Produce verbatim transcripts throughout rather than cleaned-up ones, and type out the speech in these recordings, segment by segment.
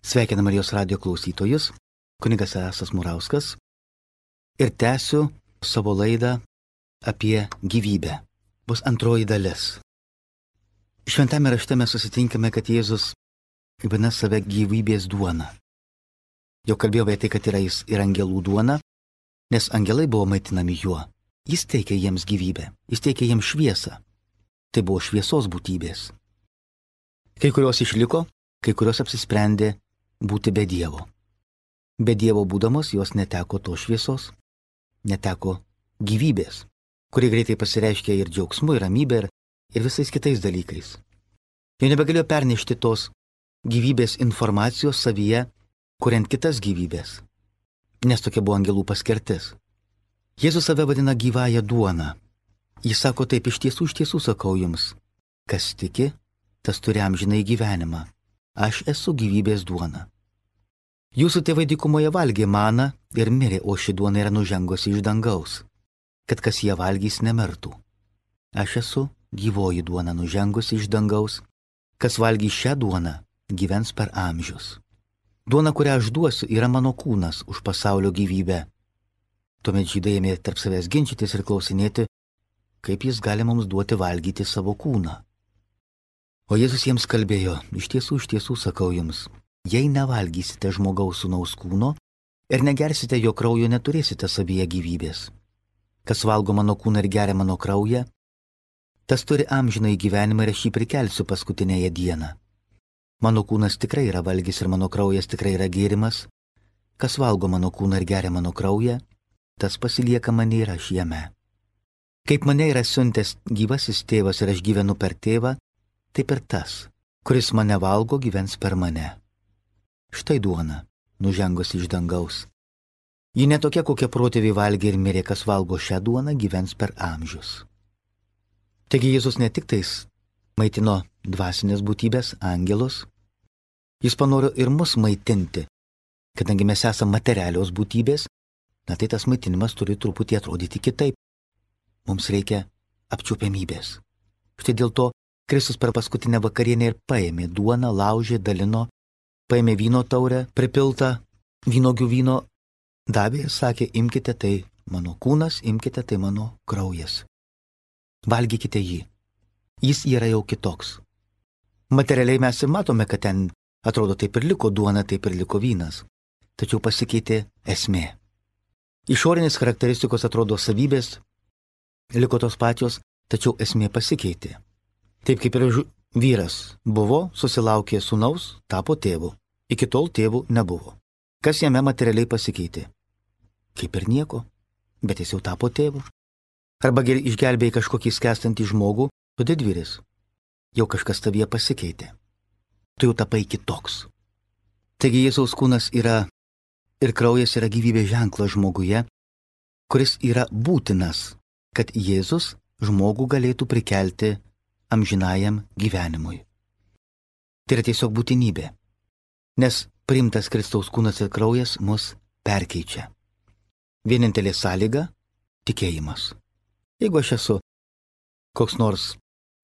Sveikinu Marijos radijo klausytojus, kunigas Esas Murauskas ir tęsiu savo laidą apie gyvybę. Bus antroji dalis. Šventame rašte mes susitinkame, kad Jėzus vadina save gyvybės duona. Jau kalbėjau apie tai, kad yra jis ir angelų duona, nes angelai buvo maitinami juo. Jis teikė jiems gyvybę, jis teikė jiems šviesą. Tai buvo šviesos būtybės. Kai kurios išliko, kai kurios apsisprendė būti be Dievo. Be Dievo būdamos jos neteko to šviesos, neteko gyvybės, kuri greitai pasireiškia ir džiaugsmu, ir ramybė, ir, ir visais kitais dalykais. Jau nebegalėjo pernešti tos gyvybės informacijos savyje, kuriant kitas gyvybės, nes tokia buvo angelų paskirtis. Jėzus save vadina gyvąją duoną. Jis sako taip, iš tiesų, iš tiesų sakau jums, kas tiki, tas turi amžinąjį gyvenimą. Aš esu gyvybės duona. Jūsų tėvai dykumoje valgė maną ir mirė, o ši duona yra nužengusi iš dangaus, kad kas ją valgys nemirtų. Aš esu gyvoji duona nužengusi iš dangaus, kas valgys šią duoną, gyvens per amžius. Duona, kurią aš duosiu, yra mano kūnas už pasaulio gyvybę. Tuomet žydai ėmė tarp savęs ginčytis ir klausinėti, kaip jis gali mums duoti valgyti savo kūną. O Jėzus jiems kalbėjo, iš tiesų, iš tiesų sakau jums, jei nevalgysite žmogaus sūnaus kūno ir negersite jo kraujo, neturėsite savyje gyvybės. Kas valgo mano kūną ir geria mano kraują, tas turi amžinąjį gyvenimą ir aš jį prikelsiu paskutinėje dieną. Mano kūnas tikrai yra valgis ir mano kraujas tikrai yra gėrimas. Kas valgo mano kūną ir geria mano kraują, tas pasilieka mane ir aš jame. Kaip mane yra siuntęs gyvasis tėvas ir aš gyvenu per tėvą, taip ir tas, kuris mane valgo, gyvens per mane. Štai duona, nužengusi iš dangaus. Ji netokia, kokia protėviai valgė ir mirė, kas valgo šią duoną, gyvens per amžius. Taigi Jėzus ne tik tais maitino dvasinės būtybės, angelus, jis panoro ir mus maitinti. Kadangi mes esame materialios būtybės, na tai tas maitinimas turi truputį atrodyti kitaip. Mums reikia apčiuopiamybės. Štai dėl to Kristus per paskutinę vakarienę ir paėmė duoną, laužė, dalino, paėmė vyno taurę, pripiltą vynogių vyno, davė ir sakė, imkite tai mano kūnas, imkite tai mano kraujas. Valgykite jį. Jis yra jau kitoks. Materialiai mes ir matome, kad ten atrodo taip ir liko duona, taip ir liko vynas. Tačiau pasikeitė esmė. Išorinės charakteristikos atrodo savybės, liko tos pačios, tačiau esmė pasikeitė. Taip kaip ir vyras buvo, susilaukė sūnaus, tapo tėvu. Iki tol tėvų nebuvo. Kas jame materialiai pasikeitė? Kaip ir nieko, bet jis jau tapo tėvu. Arba išgelbėjai kažkokį skęstantį žmogų, tu didvyris. Jau kažkas tavyje pasikeitė. Tu jau tapai kitoks. Taigi Jėzaus kūnas yra ir kraujas yra gyvybės ženklas žmoguje, kuris yra būtinas, kad Jėzus žmogų galėtų prikelti amžinajam gyvenimui. Tai yra tiesiog būtinybė, nes priimtas Kristaus kūnas ir kraujas mus perkeičia. Vienintelė sąlyga – tikėjimas. Jeigu aš esu koks nors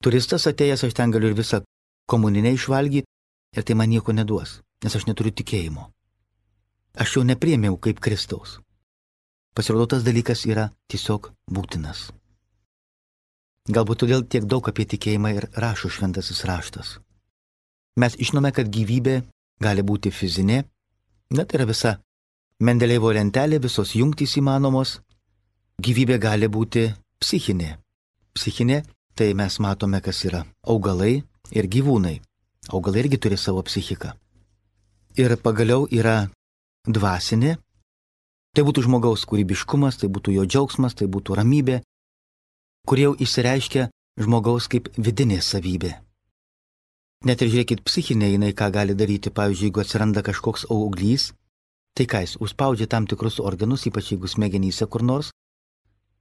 turistas atėjęs, aš ten galiu ir visą komuninę išvalgyti ir tai man nieko neduos, nes aš neturiu tikėjimo. Aš jau nepriėmiau kaip Kristaus. Pasirodo, tas dalykas yra tiesiog būtinas. Galbūt todėl tiek daug apie tikėjimą ir rašo šventasis raštas. Mes žinome, kad gyvybė gali būti fizinė, net yra visa Mendeleivo lentelė, visos jungtys įmanomos. Gyvybė gali būti psichinė. Psichinė, tai mes matome, kas yra augalai ir gyvūnai. Augalai irgi turi savo psichiką. Ir pagaliau yra dvasinė. Tai būtų žmogaus kūrybiškumas, tai būtų jo džiaugsmas, tai būtų ramybė, kur jau išsireiškia žmogaus kaip vidinė savybė. Net ir žiūrėkit, psichinė jinai ką gali daryti, pavyzdžiui, jeigu atsiranda kažkoks auglys, tai ką jis užspaudžia tam tikrus organus, ypač jeigu smegenyse kur nors,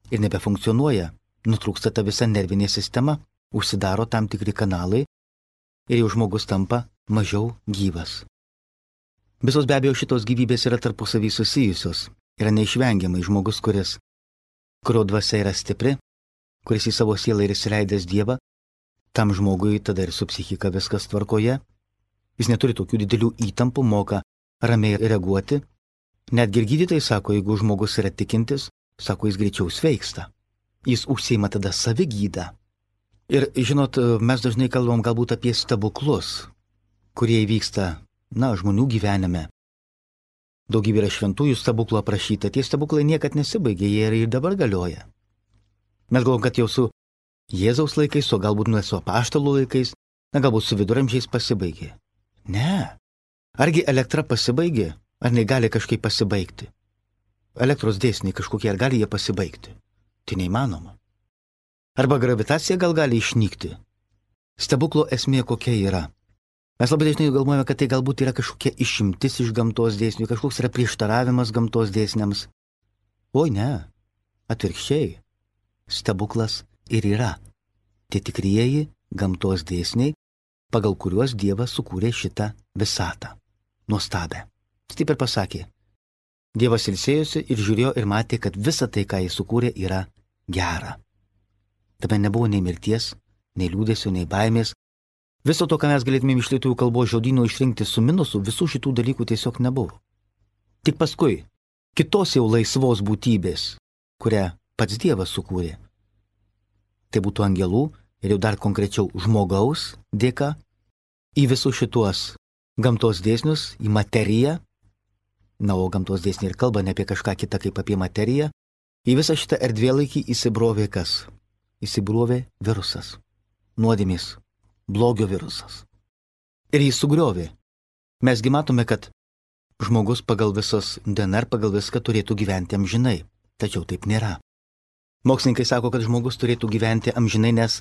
ir nebefunkcionuoja, nutrūksta ta visa nervinė sistema, užsidaro tam tikri kanalai ir jau žmogus tampa mažiau gyvas. Visos be abejo šitos gyvybės yra tarpusavy susijusios, yra neišvengiamai žmogus, kuris, kurio dvasia yra stipri, kuris į savo sielą ir įsileidęs Dievą, tam žmogui tada ir su psichika viskas tvarkoje, Jis neturi tokių didelių įtampų, moka ramiai reaguoti. Netgi ir gydytojai sako, jeigu žmogus yra tikintis, sako, jis greičiau sveiksta. Jis užsiima tada savigydą. Ir žinot, mes dažnai kalbam galbūt apie stebuklus, kurie įvyksta, na, žmonių gyvenime. Daugybė yra šventųjų stebuklų aprašyta, tie stebuklai niekad nesibaigė, jie ir dabar galioja. Mes galvom, kad jau su Jėzaus laikais, o galbūt nuo su apaštalų laikais, na, galbūt su viduramžiais pasibaigė. Ne. Argi elektra pasibaigė, ar negali kažkaip pasibaigti? Elektros dėsniai kažkokie, ar gali jie pasibaigti? Tai neįmanoma. Arba gravitacija gal gali išnykti. Stebuklo esmė kokia yra? Mes labai dažnai galvojame, kad tai galbūt yra kažkokia išimtis iš gamtos dėsnių, kažkoks yra prieštaravimas gamtos dėsniams. Oi ne, atvirkščiai. Stebuklas ir yra tie tikrieji gamtos dėsniai, pagal kuriuos Dievas sukūrė šitą visatą. Nuostabę. Jis taip ir pasakė. Dievas ilsėjosi ir žiūrėjo ir matė, kad visa tai, ką jis sukūrė, yra gera. Tame nebuvo nei mirties, nei liūdesio, nei baimės. Viso to, ką mes galėtume iš lietuvių kalbos žodyno išrinkti su minusu, visų šitų dalykų tiesiog nebuvo. Tik paskui, kitos jau laisvos būtybės, kurią pats Dievas sukūrė. Tai būtų angelų ir jau dar konkrečiau žmogaus dėka į visus šituos gamtos dėsnius, į materiją. Na, o gamtos dėsniai ir kalba ne apie kažką kitą kaip apie materiją. Į visą šitą erdvėlaikį įsibrovė kas? Įsibrovė virusas. Nuodėmės. Blogio virusas. Ir jis sugriovė. Mesgi matome, kad žmogus pagal visos D N R, pagal viską turėtų gyventi amžinai. Tačiau taip nėra. Mokslininkai sako, kad žmogus turėtų gyventi amžinai, nes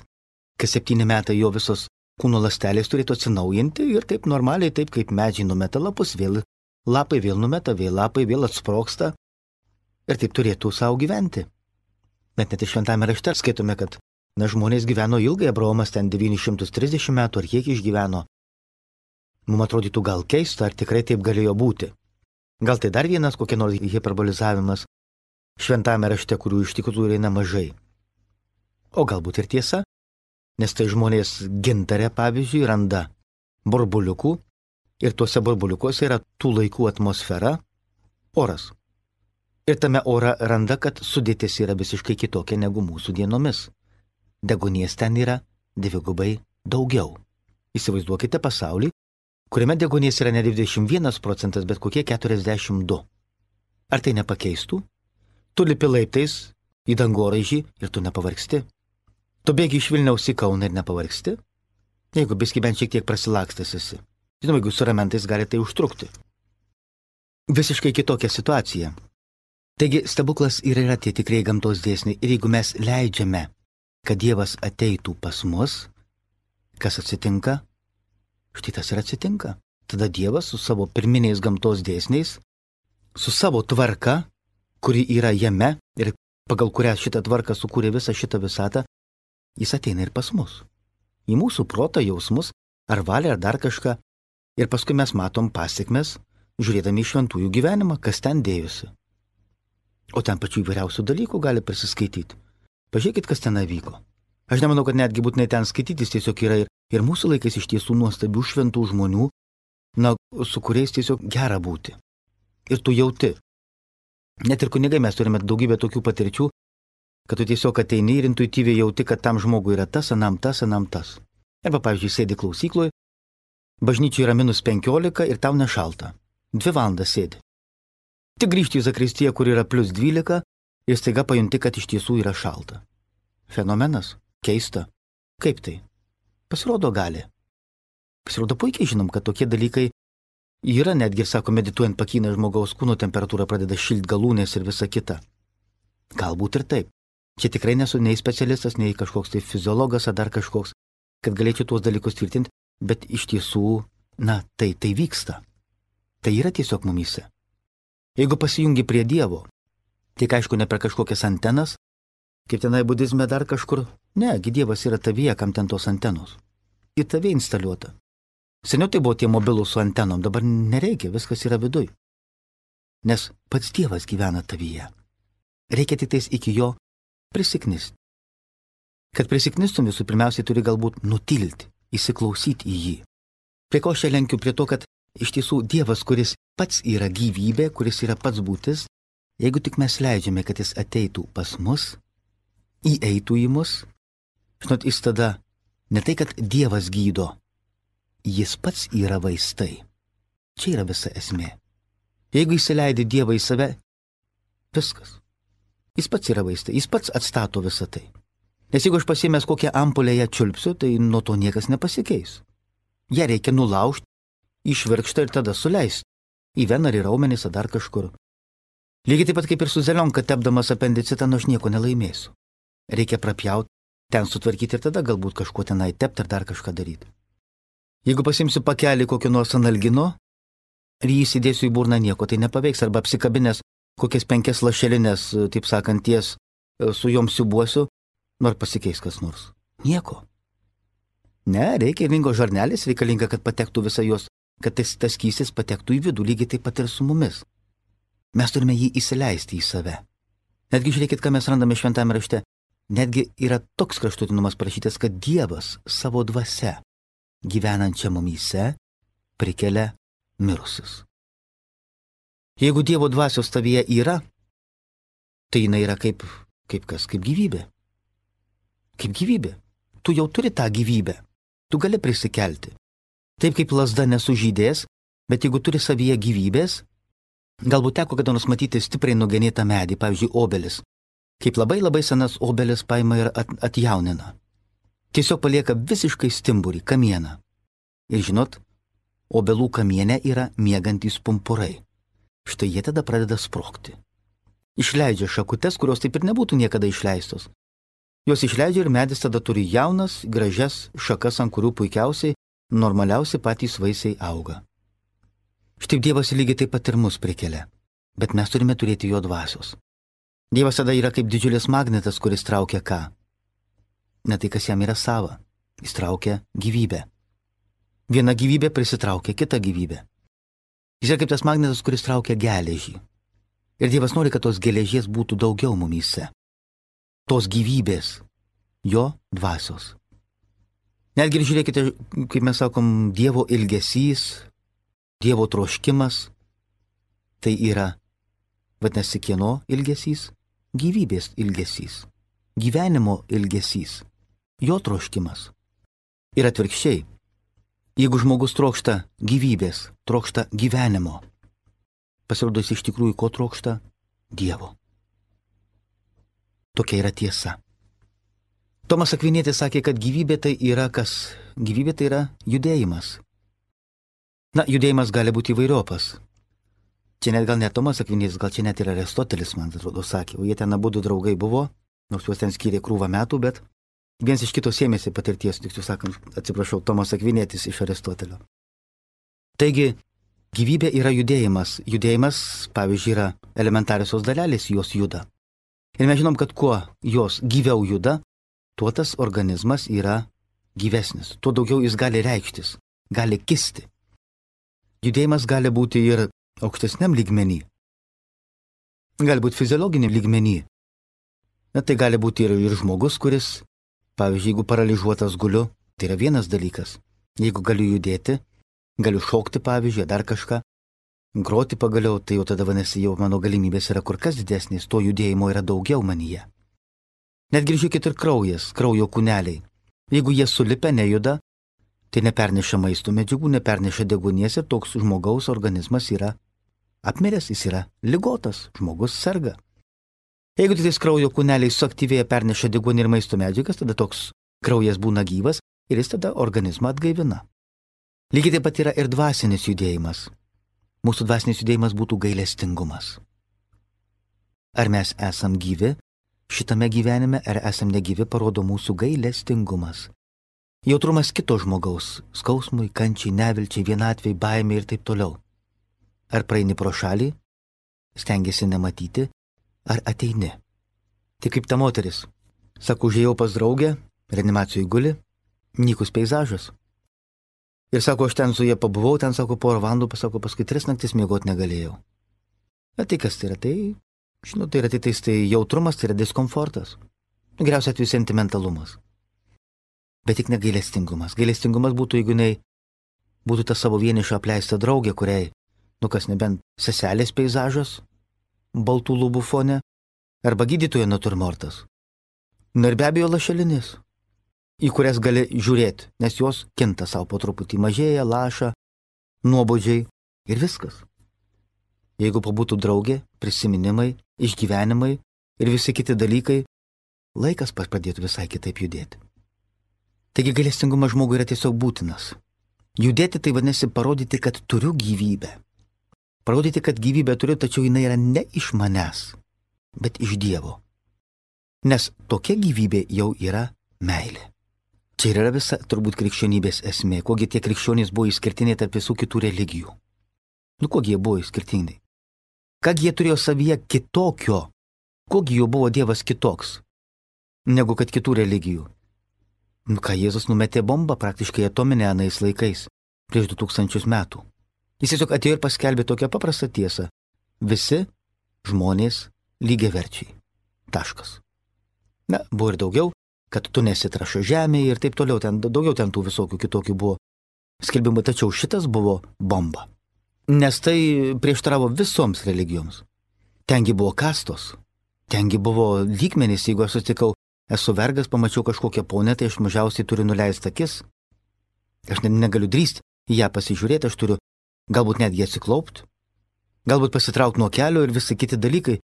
kas septyni metai jo visos kūno ląstelės turėtų atsinaujinti ir taip normaliai, taip kaip medžiai numeta lapus, vėl lapai vėl numeta, vėl lapai vėl atsprogsta ir taip turėtų savo gyventi. Bet net ir šventame rašte skaitome, kad na, žmonės gyveno ilgai, Abraomas ten devynis šimtus trisdešimt metų ar kiek išgyveno. Mums atrodytų gal keista, ar tikrai taip galėjo būti. Gal tai dar vienas kokia nors hiperbolizavimas šventame rašte, kurių iš tikrųjų yra nemažai. O galbūt ir tiesa, nes tai žmonės gintare, pavyzdžiui, randa burbuliukų ir tuose burbuliukuose yra tų laikų atmosfera, oras. Ir tame ore randa, kad sudėtis yra visiškai kitokia negu mūsų dienomis. Deguonies ten yra dvigubai daugiau. Įsivaizduokite pasaulį, kuriame deguonies yra ne dvidešimt vienas procentas, bet kokie keturiasdešimt du. Ar tai nepakeistų? Tu lipi laiptais į dangoraižį ir tu nepavargsti. Tu bėgi iš Vilniaus į Kauną ir nepavargsti? Jeigu biski bent šiek tiek prasilakstęs esi. Žinoma, jeigu su ramentais gali tai užtrukti. Visiškai kitokia situacija. Taigi stebuklas ir yra tie tikrai gamtos dėsniai. Ir jeigu mes leidžiame, kad Dievas ateitų pas mus, kas atsitinka? Štai tas ir atsitinka. Tada Dievas su savo pirminiais gamtos dėsniais, su savo tvarka, kuri yra jame ir pagal kurią šitą tvarką sukūrė visą šitą visatą, jis ateina ir pas mus. Į mūsų protą, jausmus, ar valią, ar dar kažką. Ir paskui mes matom pasiekmes, žiūrėdami į šventųjų gyvenimą, kas ten dėjosi. O ten pačių įvairiausių dalykų gali prisiskaityti. Pažiūrėkit, kas ten vyko. Aš nemanau, kad netgi būtinai ten skaitytis tiesiog yra ir, ir mūsų laikais iš tiesų nuostabių šventų žmonių, na, su kuriais tiesiog gera būti. Ir tu jauti. Net ir kunigai mes turime daugybę tokių patirčių, kad tu tiesiog ateini ir intuityviai jauti, kad tam žmogui yra tas, anam tas, anam tas. Arba, pavyzdžiui, sėdi klausykloje, bažnyčiai yra minus penkiolika ir tau nešalta. Dvi valandas sėdi. Tik grįžti į zakristiją, kur yra plus dvylika, ir staiga pajunti, kad iš tiesų yra šalta. Fenomenas? Keista. Kaip tai? Pasirodo gali. Pasirodo puikiai žinom, kad tokie dalykai yra, netgi, sako, medituojant pakyna žmogaus kūno temperatūra, pradeda šilt galūnės ir visa kita. Galbūt ir taip. Čia tikrai nesu nei specialistas, nei kažkoks tai fiziologas ar dar kažkoks, kad galėčiau tuos dalykus tvirtinti, bet iš tiesų, na, tai tai vyksta. Tai yra tiesiog mumyse. Jeigu pasijungi prie Dievo, tik aišku ne per kažkokias antenas, kaip tenai budizme dar kažkur, ne, gi Dievas yra tavyje, kam ten tos antenos. Į tave instaliuota. Seniau tai buvo tie mobilūs su antenom, dabar nereikia, viskas yra viduj. Nes pats Dievas gyvena tavyje. Reikia tik tais iki jo prisiknisti. Kad prisiknistum, visų pirmiausiai turi galbūt nutilti, įsiklausyti į jį. Prie ko aš čia lenkiu? Prie to, kad iš tiesų Dievas, kuris pats yra gyvybė, kuris yra pats būtis, jeigu tik mes leidžiame, kad jis ateitų pas mus, įeitų į mus, žinot, jis tada ne tai, kad Dievas gydo, jis pats yra vaistai. Čia yra visa esmė. Jeigu įsileidi Dievą į save, viskas. Jis pats yra vaistai, jis pats atstato visą tai. Nes jeigu aš pasiėmęs kokią ampulę ją čiulpsiu, tai nuo to niekas nepasikeis. Ją reikia nulaužti, išvirkštą ir tada suleisti. Į veną ar į raumenis ar dar kažkur. Lygiai taip pat kaip ir su zelionka tepdamas apendicitą, nu aš nieko nelaimėsiu. Reikia prapjauti, ten sutvarkyti ir tada galbūt kažkuo tenai tepti ar dar kažką daryti. Jeigu pasimsiu pakelį kokio nors analgino ir jį įsidėsiu į burną, nieko tai nepaveiks. Arba apsikabinęs kokias penkias lašelinės, taip sakant, ties su jom siubuosiu, nors pasikeis kas nors. Nieko. Ne, reikia ringo žarnelis, reikalinga, kad patektų visą jos, kad tas, tas skystis patektų į vidų, lygiai taip pat ir su mumis. Mes turime jį įsileisti į save. Netgi žiūrėkit, ką mes randame šventame rašte. Netgi yra toks kraštutinumas parašytas, kad Dievas savo dvasia, gyvenančia mumyse, prikelia mirusius. Jeigu Dievo dvasios tavyje yra, tai jinai yra kaip, kaip kas, kaip gyvybė. Kaip gyvybė. Tu jau turi tą gyvybę. Tu gali prisikelti. Taip kaip lazda nesužydės, bet jeigu turi savyje gyvybės, galbūt teko kada nors matyti stipriai nugenėtą medį, pavyzdžiui, obelis. Kaip labai labai senas obelis paima ir at, atjaunina. Tiesiog palieka visiškai stimburį, kamieną. Ir žinot, obelų kamiene yra miegantys pumpurai. Štai jie tada pradeda sprogti. Išleidžia šakutes, kurios taip ir nebūtų niekada išleistos. Jos išleidžia ir medis tada turi jaunas, gražias šakas, ant kurių puikiausiai, normaliausiai patys vaisiai auga. Štai Dievas lygiai taip pat ir mus prikelia, bet mes turime turėti jo dvasios. Dievas tada yra kaip didžiulis magnetas, kuris traukia ką? Ne tai, kas jam yra sava. Jis traukia gyvybę. Viena gyvybė prisitraukia kitą gyvybę. Jis yra kaip tas magnetas, kuris traukia geležį. Ir Dievas nori, kad tos geležies būtų daugiau mumyse. Tos gyvybės, jo dvasios. Netgi ir žiūrėkite, kaip mes sakom, Dievo ilgesys, Dievo troškimas, tai yra, vadinasi, kieno ilgesys? Gyvybės ilgesys, gyvenimo ilgesys, jo troškimas. Ir atvirkščiai, jeigu žmogus trokšta gyvybės, trokšta gyvenimo, pasirodo jis iš tikrųjų ko trokšta? Dievo. Tokia yra tiesa. Tomas Akvinietis sakė, kad gyvybė tai yra kas? Gyvybė tai yra judėjimas. Na, judėjimas gali būti įvairiopas. Čia net gal ne Tomas Akvinietis, gal čia net ir Aristotelis, man atrodo, sakė. O jie ten abudu draugai buvo, nors juos ten skyrė krūvą metų, bet vienas iš kito sėmėsi patirties, tiksliau sakant, atsiprašau, Tomas Akvinietis iš Aristotelio. Taigi, gyvybė yra judėjimas. Judėjimas, pavyzdžiui, yra elementariosios dalelės, jos juda. Ir mes žinom, kad kuo jos gyviau juda, tuo tas organizmas yra gyvesnis, tuo daugiau jis gali reikštis, gali kisti. Judėjimas gali būti ir aukštesniam lygmenį, gali būti fiziologiniam lygmenį. Na, tai gali būti ir, ir žmogus, kuris, pavyzdžiui, jeigu paralyžiuotas guliu, tai yra vienas dalykas. Jeigu galiu judėti, galiu šokti, pavyzdžiui, dar kažką, groti pagaliau, tai jau tada vadinasi, jau mano galimybės yra kur kas didesnės, to judėjimo yra daugiau manyje. Netgi žiūrėkit ir kraujas, kraujo kūneliai. Jeigu jie sulipę nejuda, tai neperneša maisto medžiagų, neperneša deguonies ir toks žmogaus organizmas yra apmiręs, jis yra ligotas, žmogus serga. Jeigu tik tais kraujo kūneliai suaktyvėja, perneša deguonį ir maisto medžiagas, tada toks kraujas būna gyvas ir jis tada organizmą atgaivina. Lygiai taip pat yra ir dvasinis judėjimas. Mūsų dvasinis judėjimas būtų gailestingumas. Ar mes esam gyvi šitame gyvenime, ar esam negyvi, parodo mūsų gailestingumas. Jautrumas kito žmogaus, skausmui, kančiai, nevilčiai, vienatvei, baimei ir taip toliau. Ar praeini pro šalį, stengiasi nematyti, ar ateini. Tai kaip ta moteris. Sako, užėjau pas draugę, reanimacijoj guli, nykus peizažas. Ir sako, aš ten su jie pabuvau, ten sako, porą valandų, pasako, paskui tris naktis miegoti negalėjau. Bet tai kas tai yra? Tai, žinau, tai yra tai, tai jautrumas, tai yra diskomfortas. Geriausia atveju sentimentalumas. Bet tik ne gailestingumas. Gailestingumas būtų, jeigu jinai būtų ta savo vienišą apleistą draugę, kuriai, nu kas nebent seselės peizažas, baltų lubų fone, arba gydytojo naturmortas. Na ir be abejo lašelinės, į kurias gali žiūrėti, nes jos kinta savo po truputį, mažėja, laša, nuobodžiai ir viskas. Jeigu pabūtų draugė, prisiminimai, išgyvenimai ir visi kiti dalykai, laikas pradėtų visai kitaip judėti. Taigi gailestingumas žmogui yra tiesiog būtinas. Judėti tai vadinasi parodyti, kad turiu gyvybę. Parodyti, kad gyvybę turiu, tačiau jinai yra ne iš manęs, bet iš Dievo. Nes tokia gyvybė jau yra meilė. Čia yra visa turbūt krikščionybės esmė, kogi tie krikščionys buvo išskirtiniai tarp visų kitų religijų. Nu, kogi jie buvo išskirtiniai? Kągi jie turėjo savyje kitokio, kogi jų buvo Dievas kitoks, negu kad kitų religijų. Nu, ką Jėzus numetė bombą praktiškai atominę anais laikais, prieš du tūkstančius metų. Jis tiesiog atėjo ir paskelbė tokią paprastą tiesą. Visi žmonės lygiaverčiai. Taškas. Na, buvo ir daugiau, kad tu nesi trąša žemėje ir taip toliau, ten, daugiau ten tų visokių kitokių buvo skelbimų, tačiau šitas buvo bomba. Nes tai prieštaravo visoms religijoms. Tengi buvo kastos, tengi buvo lygmenys, jeigu aš sutikau, esu vergas, pamačiau kažkokią ponę, tai aš mažiausiai turiu nuleisti akis. Aš ne, negaliu drįsti į ją pasižiūrėti, aš turiu galbūt netgi atsiklaupti, galbūt pasitraukti nuo kelio ir visi kiti dalykai.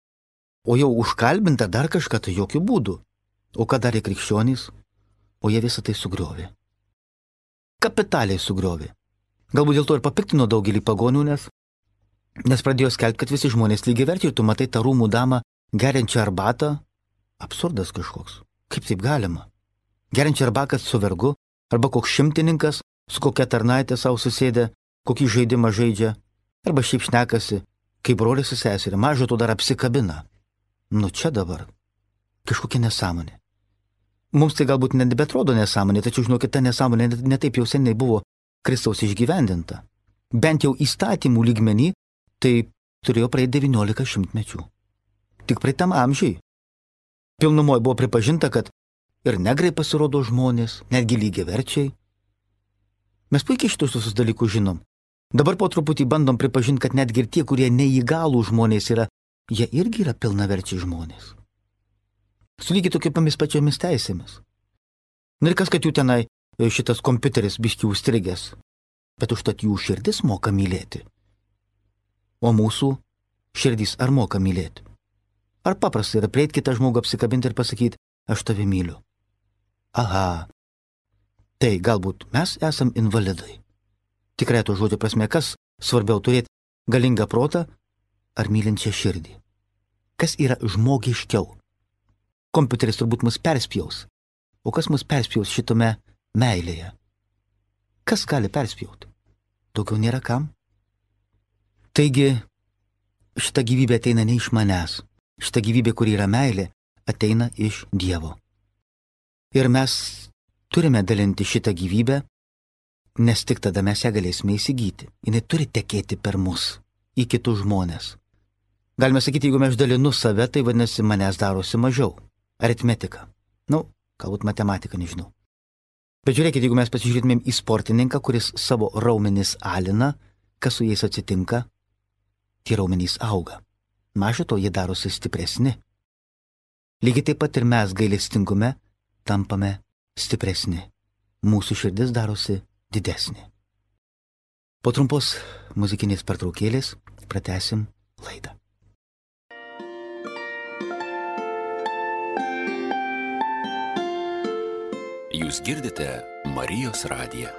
O jau užkalbinta dar kažką, tai jokių būdų. O ką darė krikščionys? O jie visą tai sugriovė. Kapitaliai sugriovė. Galbūt dėl to ir papiktino daugelį pagonių, nes, nes pradėjo skelbti, kad visi žmonės lygiaverčiai, tu matai tą rūmų damą geriančią arbatą. Absurdas kažkoks. Kaip taip galima? Geriančią arbatą su vergu, arba koks šimtininkas, su kokia tarnaitė savo susėdė, kokį žaidimą žaidžia, arba šiaip šnekasi, kaip brolis su seserė, mažo to dar apsikabina. Nu čia dabar. Kažkokia nesąmonė. Mums tai galbūt nebetrodo nesąmonė, tačiau žinokit, ta nesąmonė netaip jau seniai buvo Kristaus išgyvendinta. Bent jau įstatymų lygmenį, tai turėjo praeiti devyniolika šimtmečių. Tik praeitam amžiai. Pilnumoje buvo pripažinta, kad ir negrai pasirodo žmonės, netgi lygiaverčiai. Mes puikiai šitus visus dalykus žinom. Dabar po truputį bandom pripažinti, kad netgi ir tie, kurie neįgalų žmonės yra, jie irgi yra pilnaverčiai žmonės. Su lygiai tokiamis pačiomis teisėmis. Na ir kas, kad jų tenai šitas kompiuteris biški užstrigęs, bet užtat jų širdis moka mylėti. O mūsų širdys ar moka mylėti? Ar paprasta yra prieiti kitą žmogų apsikabinti ir pasakyti, aš tave myliu? Aha, tai galbūt mes esam invalidai. Tikrai to žodžio prasme, kas svarbiau turėti galingą protą ar mylinčią širdį? Kas yra žmogiškiau? Kompiuteris turbūt mus perspjaus. O kas mus perspjaus šitame meilėje? Kas gali perspjauti? Daugiau nėra kam? Taigi, šita gyvybė ateina ne iš manęs. Šita gyvybė, kuri yra meilė, ateina iš Dievo. Ir mes turime dalinti šitą gyvybę, nes tik tada mes ją galėsime įsigyti. Jis turi tekėti per mus, į kitus žmonės. Galime sakyti, jeigu aš dalinu save, tai vadinasi, manęs darosi mažiau. Aritmetika. Nu, galbūt matematika, nežinau. Bet žiūrėkit, jeigu mes pasižiūrėtumėm į sportininką, kuris savo raumenis alina, kas su jais atsitinka, tie raumenys auga. Maža to, jie darosi stipresni. Lygiai taip pat ir mes gailestingume tampame stipresni. Mūsų širdis darosi didesnė. Po trumpos muzikinės pertraukėlės pratęsim laidą. Jūs girdite Marijos radiją.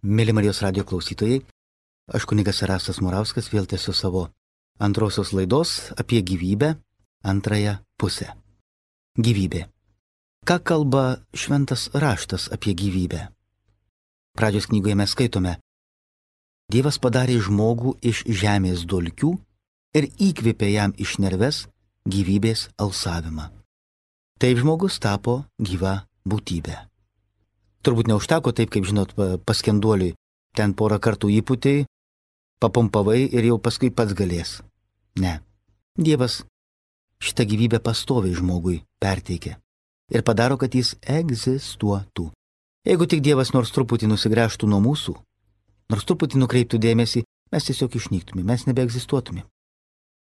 Mėly Marijos radijo klausytojai, aš kunigas Erastas Murauskas vėl tęsiu savo antrosios laidos apie gyvybę antrąją pusę. Gyvybė. Ką kalba šventas raštas apie gyvybę? Pradžios knygoje mes skaitome: Dievas padarė žmogų iš žemės dulkių ir įkvėpė jam iš nerves gyvybės alsavimą. Taip žmogus tapo gyva būtybė. Turbūt neužteko taip, kaip žinot, paskenduoliui. Ten porą kartų įpūtėjai, papumpavai ir jau paskui pats galės. Ne. Dievas šitą gyvybę pastoviai žmogui perteikia ir padaro, kad jis egzistuotų. Jeigu tik Dievas nors truputį nusigręžtų nuo mūsų, nors truputį nukreiptų dėmesį, mes tiesiog išnyktume, mes nebeegzistuotume.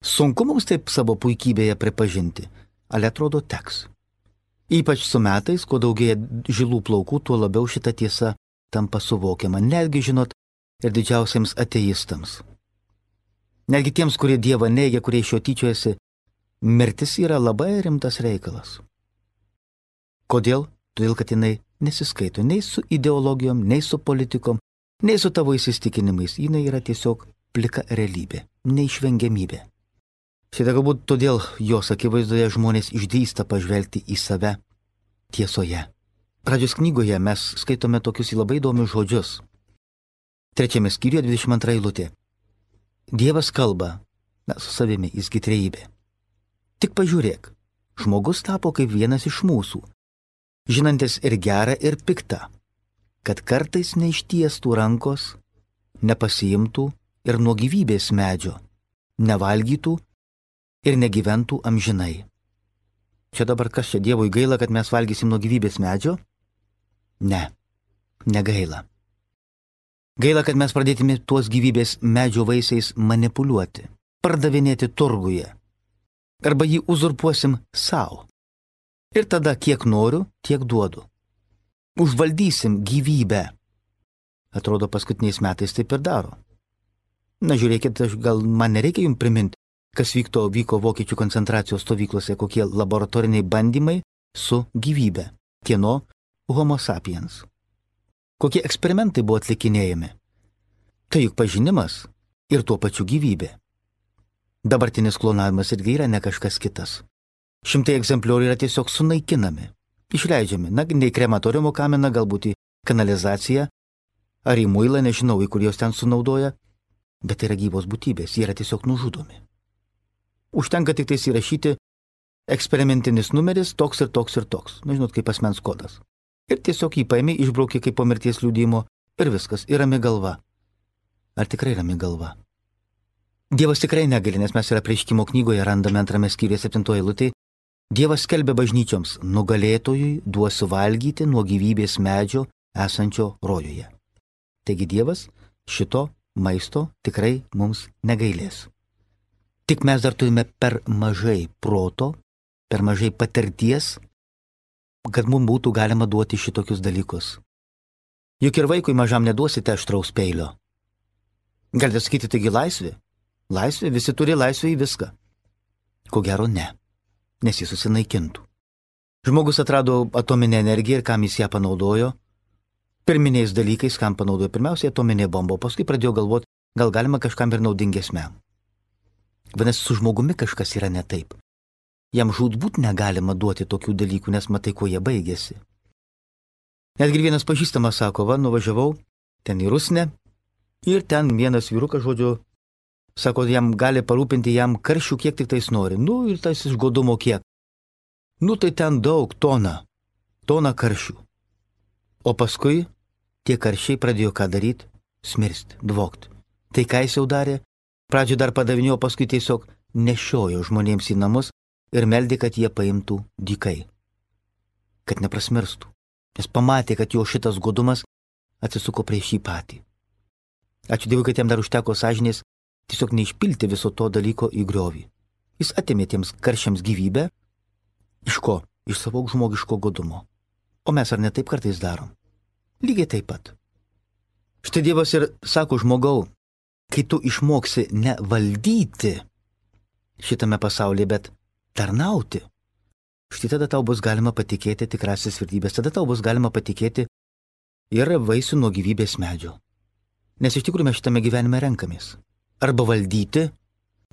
Sunku mums taip savo puikybėje pripažinti, ale atrodo teks. Ypač su metais, kuo daugėja žilų plaukų, tuo labiau šita tiesa tampa suvokiama, netgi, žinot, ir didžiausiems ateistams. Netgi tiems, kurie Dievą neigia, kurie iš jo tyčiojasi, mirtis yra labai rimtas reikalas. Kodėl? Todėl, kad jinai nesiskaito nei su ideologijom, nei su politikom, nei su tavo įsitikinimais. Jinai yra tiesiog plika realybė, neišvengiamybė. Šitą galbūt todėl jos akivaizdoje žmonės išdrįsta pažvelgti į save tiesoje. Pradžios knygoje mes skaitome tokius labai įdomius žodžius. Trečiame skyriuje dvidešimt antra eilutė. Dievas kalba, na, su savimi, jisgi trejybė. Tik pažiūrėk, žmogus tapo kaip vienas iš mūsų, žinantis ir gerą, ir piktą, kad kartais neištiestų rankos, nepasiimtų ir nuo gyvybės medžio, nevalgytų ir negyventų amžinai. Čia dabar kas čia, Dievui gaila, kad mes valgysim nuo gyvybės medžio? Ne, negaila. Gaila, kad mes pradėtume tuos gyvybės medžio vaisiais manipuliuoti, pardavinėti turguje, arba jį uzurpuosim savo. Ir tada kiek noriu, tiek duodu. Užvaldysim gyvybę. Atrodo, paskutiniais metais taip ir daro. Na, žiūrėkit, gal man nereikia jums priminti, kas vykto, vyko vokiečių koncentracijos stovyklose, kokie laboratoriniai bandymai su gyvybe, kieno homo sapiens. Kokie eksperimentai buvo atlikinėjami. Tai juk pažinimas ir tuo pačiu gyvybė. Dabartinis klonavimas irgi yra ne kažkas kitas. Šimtai egzempliorių yra tiesiog sunaikinami, išleidžiami, na, ne į krematoriumo kaminą, galbūt į kanalizaciją, ar į muilą, nežinau, į kur jos ten sunaudoja, bet tai yra gyvos būtybės, jie yra tiesiog nužudomi. Užtenka tik tais įrašyti eksperimentinis numeris toks ir toks ir toks, na, žinot, kaip asmens kodas. Ir tiesiog jį paėmė, išbraukė kaip po mirties liudijimo ir viskas, ir rami galva. Ar tikrai rami galva? Dievas tikrai negali, nes mes ir Apreiškimo knygoje randame antrame skyriuje septintoje eilutėje. Dievas skelbia bažnyčioms, nugalėtojui duosiu valgyti nuo gyvybės medžio esančio rojuje. Taigi Dievas šito maisto tikrai mums negailės. Tik mes dar turime per mažai proto, per mažai patirties, kad mums būtų galima duoti šitokius dalykus. Juk ir vaikui mažam neduosite aštraus peilio. Galite sakyti, taigi laisvė? Laisvė, visi turi laisvę į viską. Ko gero ne, nes jis susinaikintų. Žmogus atrado atominę energiją ir kam jis ją panaudojo? Pirminiais dalykais, kam panaudojo? Pirmiausiai atominė bomba, paskui pradėjo galvoti, gal galima kažkam ir naudingesniam. Vadinasi, su žmogumi kažkas yra ne taip. Jam žūtbūt negalima duoti tokių dalykų, nes matai, kuo jie baigėsi. Netgi vienas pažįstamas sako, va, nuvažiavau ten į Rusnę ir ten vienas vyrukas, žodžiu, sako, jam gali parūpinti jam karšių, kiek tik tais nori. Nu, ir tas iš godumo kiek. Nu, tai ten daug, tona, tona karšių. O paskui tie karšiai pradėjo ką daryti? Smirsti, dvokti. Tai ką jis jau darė? Pradžio dar padavinėjo, paskui tiesiog nešiojo žmonėms į namus ir meldė, kad jie paimtų dykai, kad neprasmirstų, nes pamatė, kad jo šitas godumas atsisuko prieš jį patį. Ačiū Dievui, kad jam dar užteko sąžinės tiesiog neišpilti viso to dalyko į griovį. Jis atėmė tiems karšiams gyvybę. Iš ko? Iš savo žmogiško godumo. O mes ar ne taip kartais darom? Lygiai taip pat. Štai Dievas ir sako, žmogau, kai tu išmoksi ne valdyti šitame pasaulyje, bet tarnauti, štai tada tau bus galima patikėti tikrasis vertybės, tada tau bus galima patikėti ir vaisių nuo gyvybės medžio. Nes iš tikrųjų mes šitame gyvenime renkamės. Arba valdyti,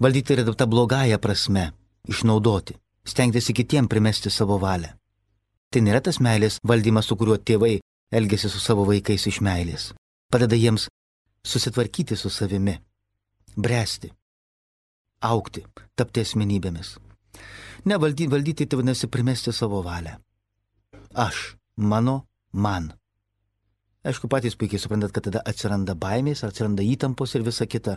valdyti yra ta blogąja prasme, išnaudoti, stengtis kitiem primesti savo valią. Tai nėra tas meilės valdymas, su kuriuo tėvai elgesi su savo vaikais iš meilės. Padeda jiems susitvarkyti su savimi, bręsti, augti, tapti asmenybėmis. Ne, valdyti, valdyti tai vadinasi primesti savo valią. Aš, mano, man. Aišku, patys puikiai suprantat, kad tada atsiranda baimės, atsiranda įtampos ir visa kita.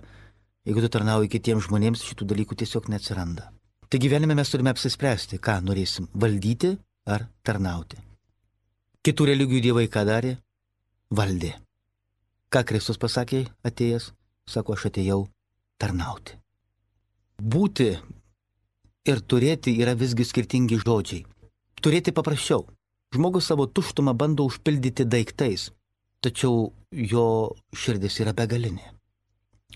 Jeigu tu tarnauji kitiems žmonėms, šitų dalykų tiesiog neatsiranda. Tai gyvenime mes turime apsispręsti, ką norėsim - valdyti ar tarnauti. Kitų religijų dievai ką darė? Valdė. Ką Kristus pasakė atėjęs? Sako, aš atėjau tarnauti. Būti ir turėti yra visgi skirtingi žodžiai. Turėti paprasčiau. Žmogus savo tuštumą bando užpildyti daiktais, tačiau jo širdis yra begalinė.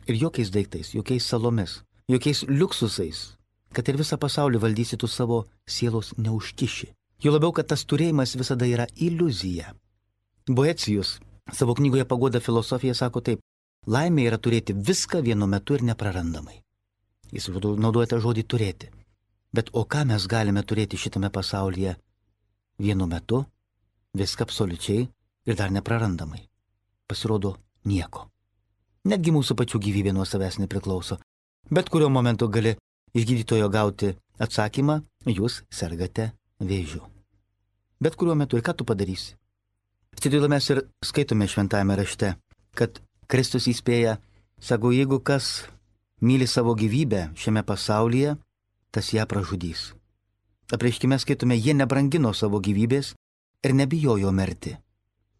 Ir jokiais daiktais, jokiais salomis, jokiais liuksusais, kad ir visą pasaulį valdysi tu savo sielos neužkiši. Jo labiau, kad tas turėjimas visada yra iliuzija. Boecijus savo knygoje Paguoda filosofija sako taip: laimė yra turėti viską vienu metu ir neprarandamai. Jis naudoja tą žodį turėti. Bet o ką mes galime turėti šitame pasaulyje vienu metu, viską absoliučiai ir dar neprarandamai? Pasirodo, nieko. Netgi mūsų pačių gyvybė nuo savęs nepriklauso. Bet kuriuo momentu gali iš gydytojo gauti atsakymą: jūs sergate vėžiu. Bet kuriuo metu. Ir ką tu padarysi? Štai mes ir skaitome šventajame rašte, kad Kristus įspėja, sako, jeigu kas myli savo gyvybę šiame pasaulyje, tas ją pražudys. Apreiškime skaitome, jie nebrangino savo gyvybės ir nebijojo mirti.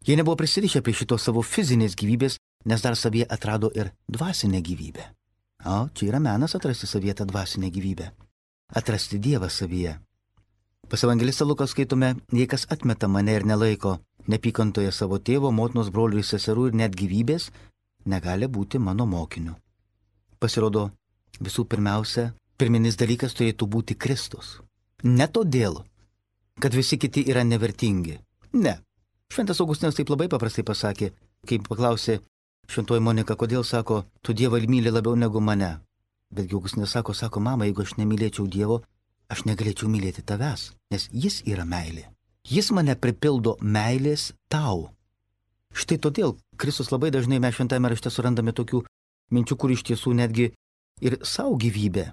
Jie nebuvo prisirišę prie šitos savo fizinės gyvybės, nes dar savyje atrado ir dvasinę gyvybę. O, čia yra menas atrasti savyje tą dvasinę gyvybę. Atrasti Dievą savyje. Pas evangelistą Luką skaitome, jei kas atmeta mane ir nelaiko nepykantoje savo tėvo, motinos, brolių ir seserų ir net gyvybės, negali būti mano mokiniu. Pasirodo, visų pirmiausia, pirminis dalykas turėtų būti Kristus. Ne todėl, kad visi kiti yra nevertingi. Ne. Šventas Augustinas taip labai paprastai pasakė, kai paklausė šventoji Monika, kodėl, sako, tu Dievą myli labiau negu mane. Betgi Augustinas sako, sako, mama, jeigu aš nemylėčiau Dievo, aš negalėčiau mylėti tavęs, nes jis yra meilė. Jis mane pripildo meilės tau. Štai todėl Kristus labai dažnai mes šventame rašte surandame tokių minčių, kur iš tiesų netgi ir savo gyvybę.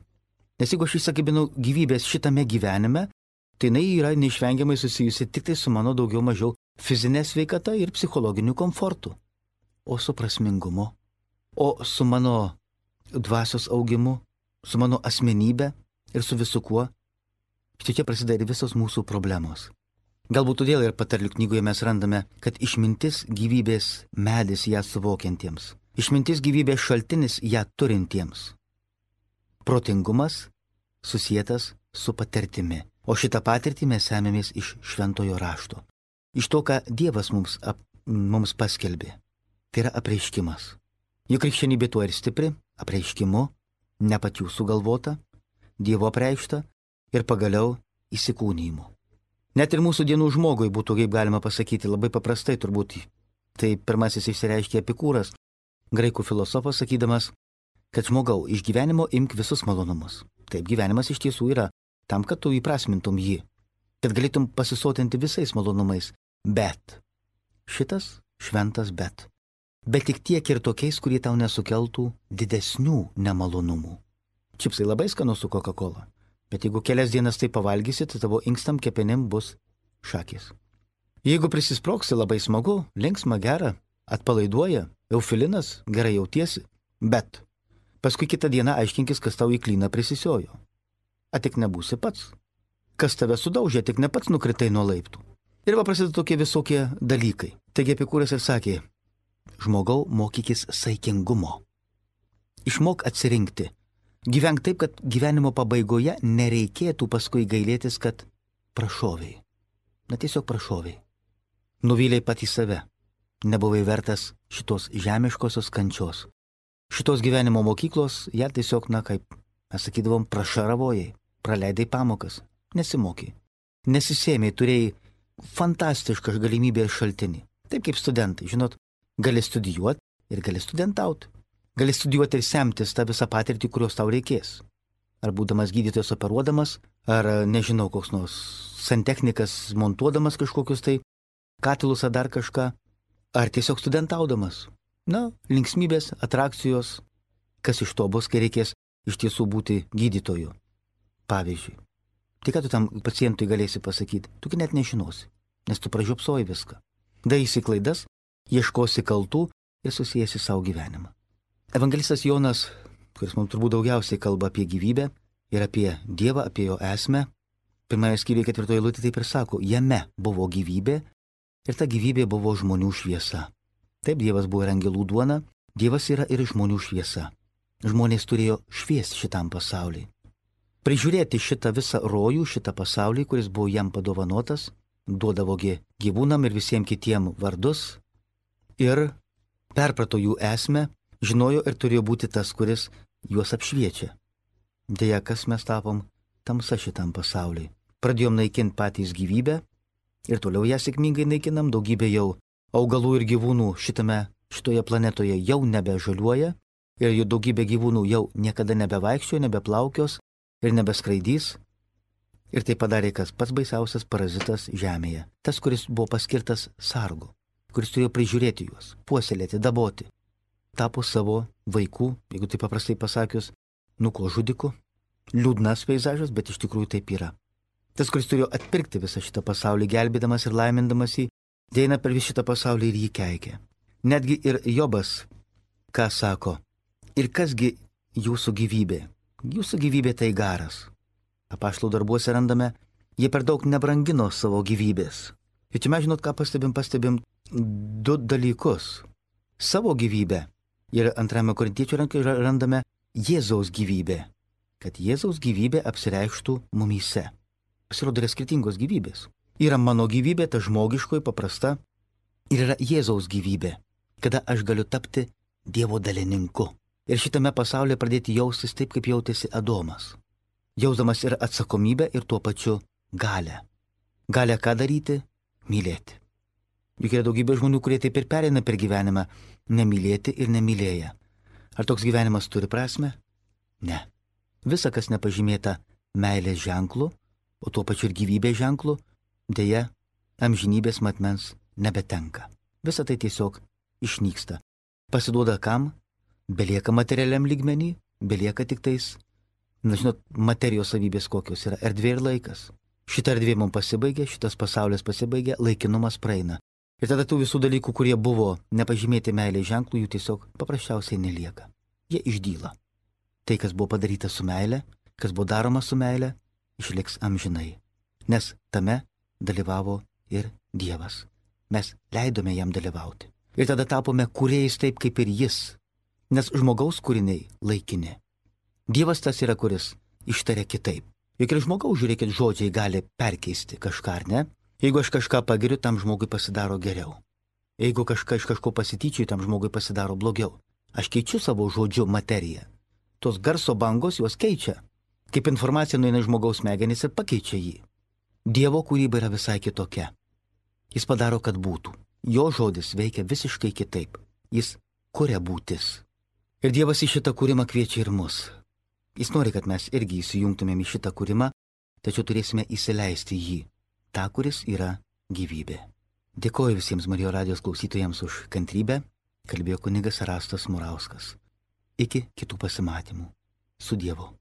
Nes jeigu aš įsakybinau gyvybės šitame gyvenime, tai jinai yra neišvengiamai susijusi tik tai su mano daugiau mažiau fizinė sveikata ir psichologiniu komfortu. O su prasmingumu, o su mano dvasios augimu, su mano asmenybė ir su visu kuo. Štai čia prasideda ir visos mūsų problemos. Galbūt todėl ir patarlių knygoje mes randame, kad išmintis gyvybės medis ją suvokiantiems. Išmintis gyvybės šaltinis ją turintiems. Protingumas susietas su patirtimi. O šitą patirtį mes semėmės iš šventojo rašto. Iš to, ką Dievas mums, ap, mums paskelbė. Tai yra apreiškimas. Juk krikščionybė tuo ir stipri, apreiškimu, ne pačių sugalvota, Dievo apreikšta ir pagaliau įsikūnijimu. Net ir mūsų dienų žmogui būtų, kaip galima pasakyti, labai paprastai turbūt. Tai pirmasis išsireiškė Epikūras, graikų filosofas, sakydamas, kad žmogau, iš gyvenimo imk visus malonumus. Taip, gyvenimas iš tiesų yra tam, kad tu įprasmintum jį, kad galėtum pasisotinti visais malonumais. Bet šitas šventas bet. Bet tik tiek ir tokiais, kurie tau nesukeltų didesnių nemalonumų. Čipsai labai skanu su Coca-Cola, bet jeigu kelias dienas tai pavalgysi, tai tavo inkstam kepenim bus šakės. Jeigu prisisproksi, labai smagu, linksma, gera, atpalaiduoja, eufilinas, gerai jautiesi, bet paskui kitą dieną aiškinkis, kas tau į klyną prisisiojo. A tik nebūsi pats. Kas tave sudaužė, tik ne pats nukritai nuo laiptų. Ir va prasideda tokie visokie dalykai. Taigi Epikūras ir sakė, žmogau, mokykis saikingumo. Išmok atsirinkti. Gyvenk taip, kad gyvenimo pabaigoje nereikėtų paskui gailėtis, kad prašoviai. Na tiesiog prašoviai. Nuvyliai patį save. Nebuvai vertas šitos žemiškosios kančios. Šitos gyvenimo mokyklos, ją tiesiog, na kaip mes sakydavom, prašaravojai. Praleidai pamokas. Nesimokai. Nesisėmei, turėjai fantastišką galimybę ir šaltinį. Taip kaip studentai, žinot, gali studijuoti ir gali studentauti. Gali studijuoti ir semtis tą visą patirtį, kurios tau reikės. Ar būdamas gydytojas operuodamas, ar nežinau, koks nors santechnikas montuodamas kažkokius tai katilus ar dar kažką, ar tiesiog studentaudamas. Na, linksmybės, atrakcijos, kas iš to bus, kai reikės iš tiesų būti gydytoju. Pavyzdžiui, tai ką tu tam pacientui galėsi pasakyti, tu net nežinosi, nes tu pražiopsoji viską. Darysi klaidas, ieškosi kaltų ir susijęsi savo gyvenimą. Evangelistas Jonas, kuris mums turbūt daugiausiai kalba apie gyvybę ir apie Dievą, apie jo esmę, pirmoje skyriuje ketvirtoje eilutėje taip ir sako, jame buvo gyvybė ir ta gyvybė buvo žmonių šviesa. Taip, Dievas buvo ir angelų duona, Dievas yra ir žmonių šviesa. Žmonės turėjo šviesti šitam pasauliui. Prižiūrėti šitą visą rojų, šitą pasaulį, kuris buvo jam padovanotas, duodavogi gyvūnam ir visiems kitiem vardus ir perprato jų esmę, žinojo ir turėjo būti tas, kuris juos apšviečia. Deja, kas mes tapom tamsa šitam pasauliui. Pradėjom naikinti patys gyvybę ir toliau ją sėkmingai naikinam, daugybė jau augalų ir gyvūnų šitame, šitoje planetoje jau nebežaliuoja ir jų daugybė gyvūnų jau niekada nebevaikščioja, nebeplaukios ir nebeskraidys. Ir tai padarė kas pats baisiausias parazitas žemėje. Tas, kuris buvo paskirtas sargu, kuris turėjo prižiūrėti juos, puoselėti, daboti. Tapo savo vaikų, jeigu tai paprastai pasakius, nuko žudiku. Liūdnas peizažas, bet iš tikrųjų taip yra. Tas, kuris turėjo atpirkti visą šitą pasaulį, gelbėdamas ir laimindamas jį, deina per visą šitą pasaulį ir jį keikia. Netgi ir Jobas, ką sako, ir kasgi jūsų gyvybė? Jūsų gyvybė tai garas. Apaštalų darbuose randame, jie per daug nebrangino savo gyvybės. Ir čia mes žinot, ką pastebim, pastebim du dalykus. Savo gyvybę ir antrame Korintiečių rankoje randame Jėzaus gyvybę, kad Jėzaus gyvybė apsireikštų mumyse. Pasirodo, yra skirtingos gyvybės. Yra mano gyvybė, ta žmogiškoji, paprasta, ir yra Jėzaus gyvybė, kada aš galiu tapti Dievo dalininku. Ir šitame pasaulyje pradėti jaustis taip, kaip jautėsi Adomas. Jausdamas ir atsakomybę, ir tuo pačiu galę. Galę ką daryti? Mylėti. Juk yra daugybė žmonių, kurie taip ir pereina per gyvenimą, nemylėti ir nemylėję. Ar toks gyvenimas turi prasme? Ne. Visa, kas nepažymėta meilės ženklu, o tuo pačiu ir gyvybės ženklu, deja, amžinybės matmens nebetenka. Visa tai tiesiog išnyksta. Pasiduoda kam? Belieka materialiam lygmenį, belieka tik tais, na žinot, materijos savybės kokios yra erdvė ir laikas. Šita erdvė mums pasibaigė, šitas pasaulis pasibaigė, laikinumas praeina. Ir tada tų visų dalykų, kurie buvo nepažymėti meilės ženklų, jų tiesiog paprasčiausiai nelieka. Jie išdyla. Tai, kas buvo padaryta su meile, kas buvo daroma su meile, išliks amžinai. Nes tame dalyvavo ir Dievas. Mes leidome jam dalyvauti. Ir tada tapome kūrėjais taip, kaip ir jis. Nes žmogaus kūriniai laikini. Dievas tas yra, kuris ištaria kitaip. Juk ir žmogaus, žiūrėkit, žodžiai gali perkeisti kažką, ar ne? Jeigu aš kažką pagiriu, tam žmogui pasidaro geriau. Jeigu kažką iš kažko pasityčiu, tam žmogui pasidaro blogiau. Aš keičiu savo žodžiu materiją. Tos garso bangos juos keičia. Kaip informacija nueina į žmogaus smegenis ir pakeičia jį. Dievo kūryba yra visai kitokia. Jis padaro, kad būtų. Jo žodis veikia visiškai kitaip. Jis kuria būtis. Ir Dievas į šitą kūrimą kviečia ir mus. Jis nori, kad mes irgi įsijungtumėm į šitą kūrimą, tačiau turėsime įsileisti jį, tą, kuris yra gyvybė. Dėkoju visiems Marijos radijos klausytojams už kantrybę, kalbėjo kunigas Erastas Murauskas. Iki kitų pasimatymų. Su Dievu.